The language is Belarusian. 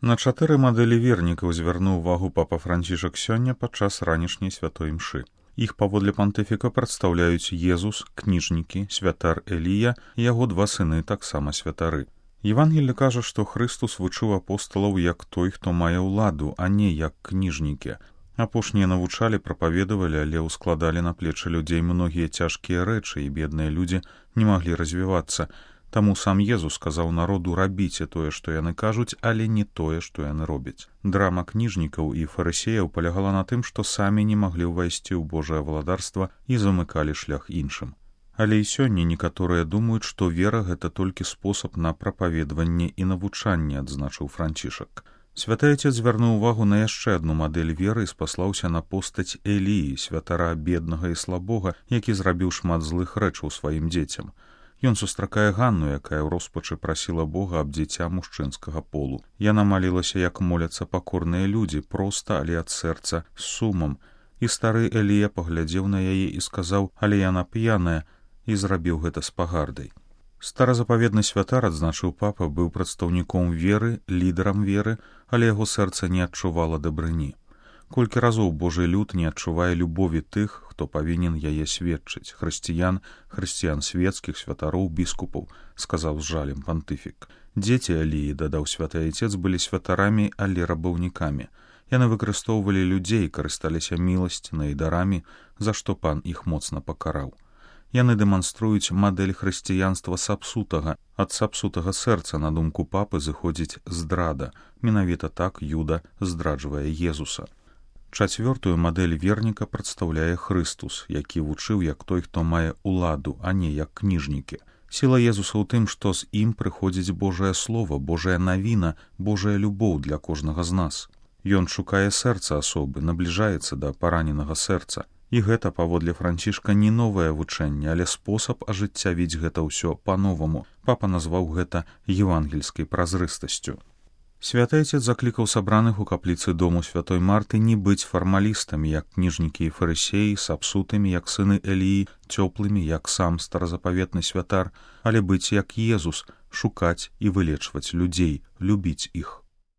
На 4 мадэлі вернікаў звярнуў увагу папа Францішак сёння падчас ранішняй святой імшы. Іх паводле пантыфіка прадстаўляюць Езус, кніжнікі, святар Элія і яго 2 сыны таксама святары. Евангелле кажа, што Хрыстус вучыў апосталаў як той, хто мае ўладу, а не як кніжнікі. Апошнія навучалі, прапаведавалі, але ўскладалі на плечы людзей многія цяжкія рэчы, і бедныя людзі не маглі развівацца. Таму сам Езус сказаў народу: рабіце тое, што яны кажуць, але не тое, што яны робяць. Драма кніжнікаў і фарысеяў палягала на тым, што самі не маглі ўвайсці ў Божае валадарства і замыкалі шлях іншым. Але і сёння некаторыя думаюць, што вера — гэта толькі спосаб на прапаведванне і навучанне, адзначыў Францішак. Святы Отец звярнуў увагу на яшчэ адну мадэль веры і спаслаўся на постаць Эліі, святара беднага і слабога, які зрабіў шмат злых рэчаў сваім дзецям. Ён сустракае Ганну, якая ў роспачы прасіла Бога аб дзіця мужчынскага полу. Яна малілася, як моляцца пакорныя людзі, проста, але ад сэрца, з сумам. І стары Элія паглядзеў на яе і сказаў: але яна п'яная, і зрабіў гэта з пагардай. Старазапаведны святар, адзначыў папа, быў прадстаўніком веры, лідарам веры, але яго сэрца не адчувала дабрыні. Колькі разоў Божы люд не адчувае любові тых, хто павінен яе сведчыць: хрысціян, хрысціян свецкіх, святароў, біскупаў, сказаў з жалем пантыфік. Дзеці Эліі, дадаў святы Отец, былі святарамі, але рабаўнікамі. Яны выкарыстоўвалі людзей, карысталіся міласцінай і дарамі, за што пан іх моцна пакараў. Яны дэманструюць мадэль хрысціянства сапсутага. Ад сапсутага сэрца, на думку папы, зыходзіць здрада. Менавіта так Юда здраджвае Езуса. 4-ю мадэль верніка прадстаўляе Хрыстус, які вучыў як той, хто мае ўладу, а не як кніжнікі. Сіла Езуса ў тым, што з ім прыходзіць Божае Слова, Божая навіна, Божая любоў для кожнага з нас. Ён шукае сэрца асобы, набліжаецца да параненага сэрца. І гэта, паводле Францішка, не новае вучэнне, але спосаб ажыццявіць гэта ўсё па-новаму. Папа назваў гэта евангельскай празрыстасцю. Святы Отец заклікаў сабраных у капліцы дому святой Марты не быць фармалістамі, як кніжнікі і фарысеі, сапсутымі, як сыны Эліі, цёплымі, як сам старазапаветны святар, але быць як Езус, шукаць і вылечваць людзей, любіць іх.